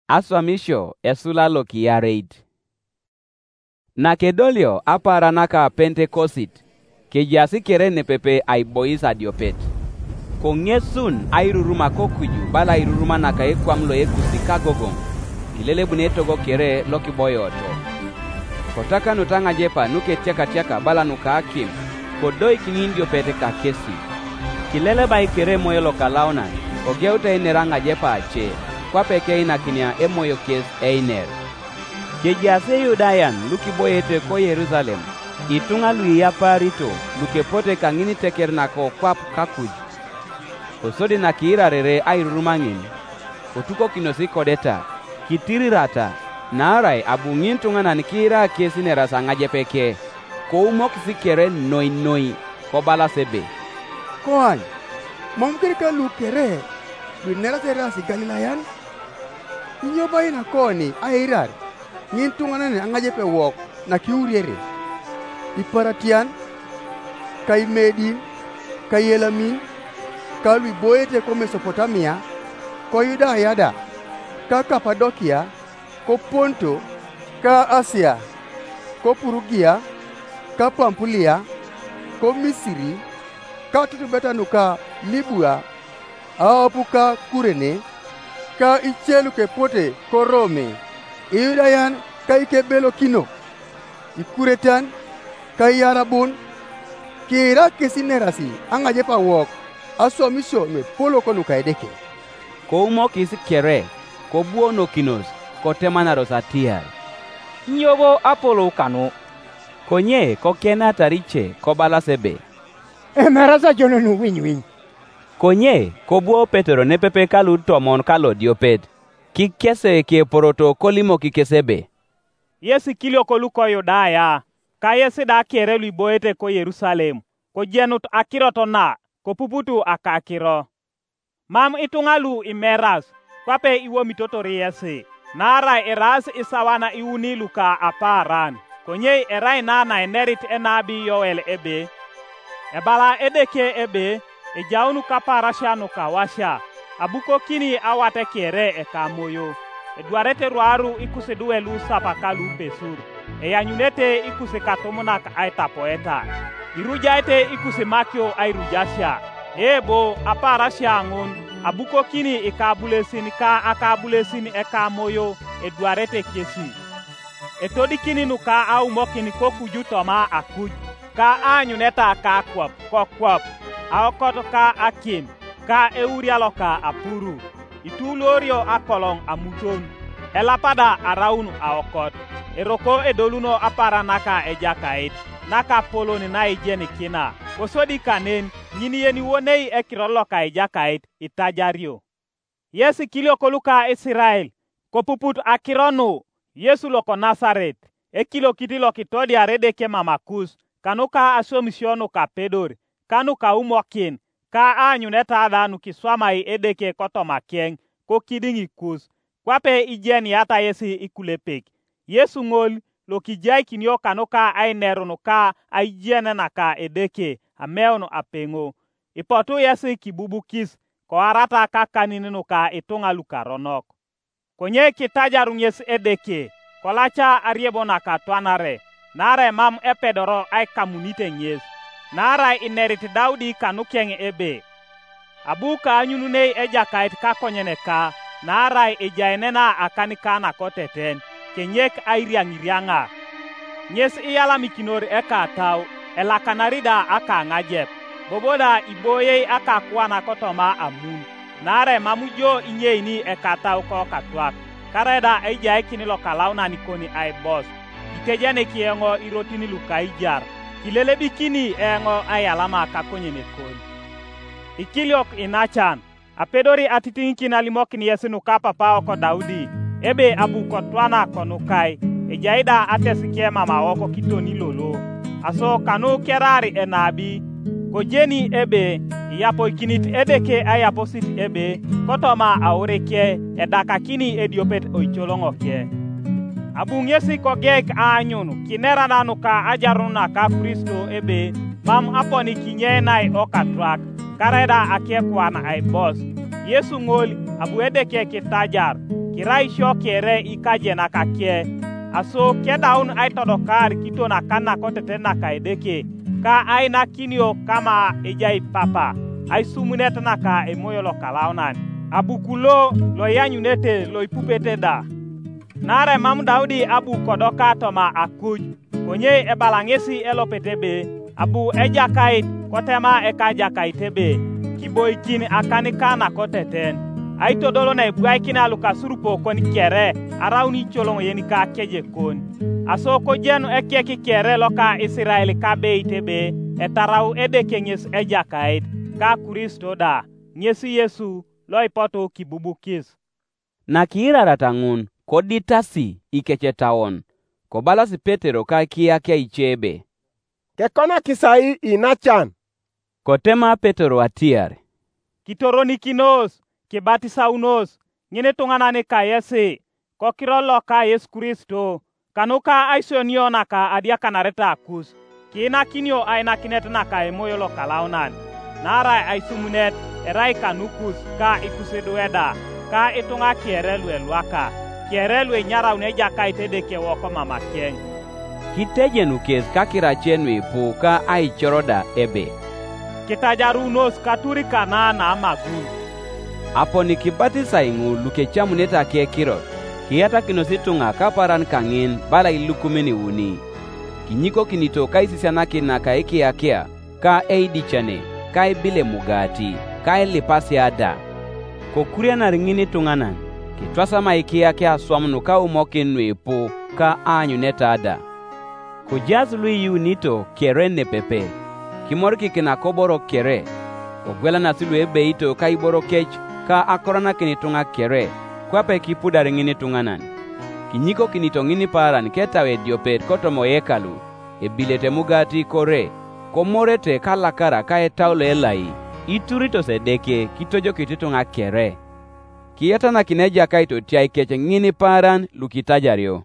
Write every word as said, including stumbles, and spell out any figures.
Aswamisio esula lokiyareit. Nakedolio apaara naka Pentekosit, kejaas kere nepepe aibois adiopet. Koŋesun airuruma kokuju bala airuruma naka ekwam loekusi kagogoŋ, kilelebuni etogo kere lokiboyoto. Kotakanut aŋajepa nuketiakatiaka bala nuka akim, kodoikin idiopet kakesi. Kilelebai kere Emoyo Lokalaunan, kogeutai nera aŋajepa ace, kwape keinakinia emoyo kes einer. Kejaas Iyudayan lukiboiete ko Yerusalem, ituŋa luiyapaarito lukepote kaŋiniteker nakokwap kakuj. Kosodi nakiirarere airurumaŋin, kotukokinos ikodeta, kitirirata, naarai abu ŋintuŋanan kiira kes ineras aŋajepeke, koumokis kere noi noi, kobalas ebe, "Koany, mam kerika lu kere luineras eraas Igalilayan? Inyo bo ainakoni airar ŋintuŋanan aŋajepe wok nakiuriere? Iparatian, ka Imedin, ka Ielamin, ka luiboete ko Mesopotamia, ko Yudaya da, ka Kapadokia, ko Ponto, ka Asia, ko Purugia, ka Pampulia, ko Misiri, ka tutubeta nuka Libua, aopu ka Kurene, ka ice lukepote ko Rome, Iyudayan ka ikebelokinok, Ikuretan, ka Iyarabun, kiira kes inerasi aŋajep awok aswamisio nuepolok nuka Edeke." Koumokis kere, kobuonokinos, kotemanaros atiar, "Inyo bo apolou kanu?" Konye kokenatar ice kobalas ebe, "Emeras ajonon winywinywi." Konye kobuo Petero nepepe ka lutomon ka lodiopet, kikese keporoto kolimok kes ebe, "Yes ikiliok luko Yudaya, ka yes da kere luiboete ko Yerusalem, kojenut akirot na, kopuput akakiro. Mam ituŋa lu imeras, kwape iwomitotor yesi, naarai eraas isawan iuni luka apaaran. Konye erai na naenerit enabi Yoel ebe, ebala Edeke ebe, ejaun kapaarasia nuka awasia, abukokini awat kere ekamoyo, edwarete ruaru ikusiduwe lusapaka lupesur, eanyunete ikusikatumnak aitapoeta, irujaete ikusimakio airujasia. Ebo, apaarasia ŋun, abukokini ikabulesin ka akabulesin ekamoyo, edwarete kesi. Etodikini nuka aumokin kokuju toma akuj, ka aanyuneta ka akwap kokwap, aokot ka akim, ka euria loka apuru, ituuloorio akoloŋ amuton, elapa da araun aokot, eroko edoluno apaaran naka Ejakait, nakapolon naijenikina, kosodi kanen ŋin yeniwonei ekiror loka Ejakait itajario. Yes ikiliok luka Isirael, kopuput akiro nu, Yesu loko Nasaret, ekiliokit lokitodiar Edeke mamakus, kanuka aswamisio nukapedor, ka nukaumokin, ka aanyuneta da nukiswamai Edeke kotomakeŋ, kokidiŋ ikus, kwape ijeniata yesi ikulepek. Yesu ŋol, lokijaikinio kanuka ainerun ka aijen naka Edeke ameun apeŋo, ipotu yesi kibubukis, koarata kakanin nuka ituŋa lukaronok. Konye kitajaru ŋes Edeke, kolaca ariebo nakatwanare, naarai mam epedoro aikamunite ŋes. Naarai inerit Daudi kanukeŋ ebe, "Abu kaanyununei Ejakait kakonyen ka, naarai ejai nena akan ka nakoteten, kenyek airiaŋiriaŋa." Ŋes iyalamikinor ekatau, elakanari da akaŋajep, bobo da iboyei akakwana kotoma amun, naarai mam jo inyeini ekatau kokatwak, karaida aijaikin lokalaunan kon aibos, itejenik eoŋ irotin lukaijar, kilelebikini eoŋ aiyalama kakonyen kon. Ikiliok inacan, apedori atitiŋikin alimokin yes nuka papao ko Daudi, ebe abu kotwana konukai, ejai da atesike mam awok kitoni lolo, aso kanu keraar enabi, kojeni ebe, iyapoikinit Edeke aiyaposit ebe, kotoma aurike edakakini ediopet oicoloŋoke. Abu ŋesi kogeik aanyun kinera nanuka ajarun naka Kristo ebe, mam aponi kinyenai okatwak, karaida akekuan aibos. Yesu ŋol, abu Edeke kitajar, Irai sio kere ikajenak ake, aso kedaun aitodokar kiton akan nakoteten naka Edeke, ka ainakinio kama ejai Papa, aisumunet naka Emoyo Lokalaunan, abu kulo loianyunete loipupete da. Naarai mam Daudi abu kodoka toma akuj, konye ebala ŋesi elopet ebe, abu Ejakait kotema ekajakait ebe, kiboikin akan ka nakoteten, aitodol naibwaikina lukasurupokon kere araun icoloŋ yenika kejekon. Aso kojen ekek kere loka Isirael kabeit ebe etarau Edeke ŋes Ejakait, ka Kristo da, ŋes Yesu loipotu kibubukis. Nakiirarata ŋun, koditasi ikecetauon, kobalas Petero ka kiyakia ice ebe, "Kekonakis ai inacan?" Kotema Petero atiar, "Kitoronikinos, kibatisaunos, ŋinituŋanan kayesi kokiror loka Yesu Kristo, kanuka aisionio naka adiakanareta kus, kiinakinio ainakinet naka Emoyo Lokalaunan, naarai aisumunet erai kanukus ka ikusidwe da, ka ituŋa kere luelwaka, kere luenyaraun Ejakait Edeke wok mamakeŋ." Kitejenu kes kakirace nuipu ka aicoro da ebe, "Kitajarunos katuri kana naamagun." Aponi kibatisai ŋul lukecamunete akekirot, kiyatakinos ituŋa kapaaran kaŋin bala ilukumin iuni. Kinyikokinito kaisisianakin naka ekiyakia, ka eidicane, ka ibile mugati, ka ilipasia da. Kokurianar ŋinituŋanan, kitwasama ikiyakia aswam nuka umokin nuipu ka aanyuneta da. Kojaas luiyuunito kere nepepe, kimorikikina koborok kere, kogwelanas luebeito ka iboro kec ka akoranakin ituŋa kere, kwape kipudar ŋinituŋanan. Kinyikokinito ŋinipaaran ketau ediopet kotoma yekalu, ebilete mugati kore, komorete kalakara ka etau loelai, ituritos Edeke kitojokit ituŋa kere. Kiyatanakin Ejakait otiaikec ŋinipaaran lukitajario.